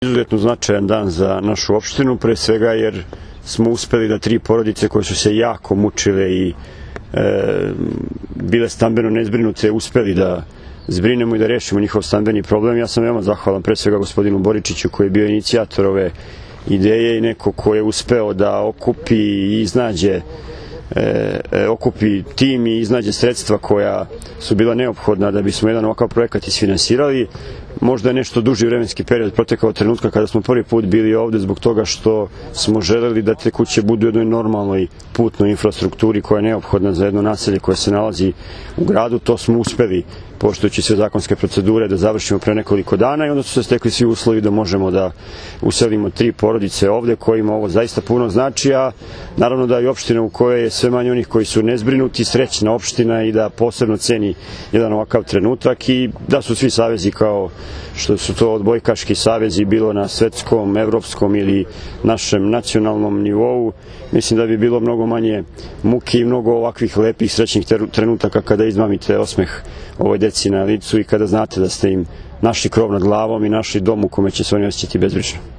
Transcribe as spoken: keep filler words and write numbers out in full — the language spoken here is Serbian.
Izuzetno značajan dan za našu opštinu, pre svega jer smo uspeli da tri porodice koje su se jako mučile i e, bile stambeno nezbrinute, uspeli da zbrinemo i da rešimo njihov stambeni problem. Ja sam veoma zahvalan pre svega gospodinu Boričiću koji je bio inicijator ove ideje i neko ko je uspeo da okupi i iznađe E, e, okupi tim i iznađe sredstva koja su bila neophodna da bismo jedan ovakav projekat isfinansirali. Možda je nešto duži vremenski period protekao od trenutka kada smo prvi put bili ovde zbog toga što smo želeli da te kuće budu u jednoj normalnoj putnoj infrastrukturi koja je neophodna za jedno naselje koje se nalazi u gradu. To smo uspeli, poštujući sve zakonske procedure, da završimo pre nekoliko dana i onda su se stekli svi uslovi da možemo da uselimo tri porodice ovde kojima ovo zaista puno znači, a naravno da i opština u kojoj je sve manje onih koji su nezbrinuti, srećna opština i da posebno ceni jedan ovakav trenutak i da su svi savezi kao što su to odbojkaški savezi bilo na svetskom, evropskom ili našem nacionalnom nivou. Mislim da bi bilo mnogo manje muke i mnogo ovakvih lepih srećnih trenutaka kada izmamite osmeh ovoj deci na licu i kada znate da ste im našli krov nad glavom i našli dom u kome će se oni osjećati bezbrižno.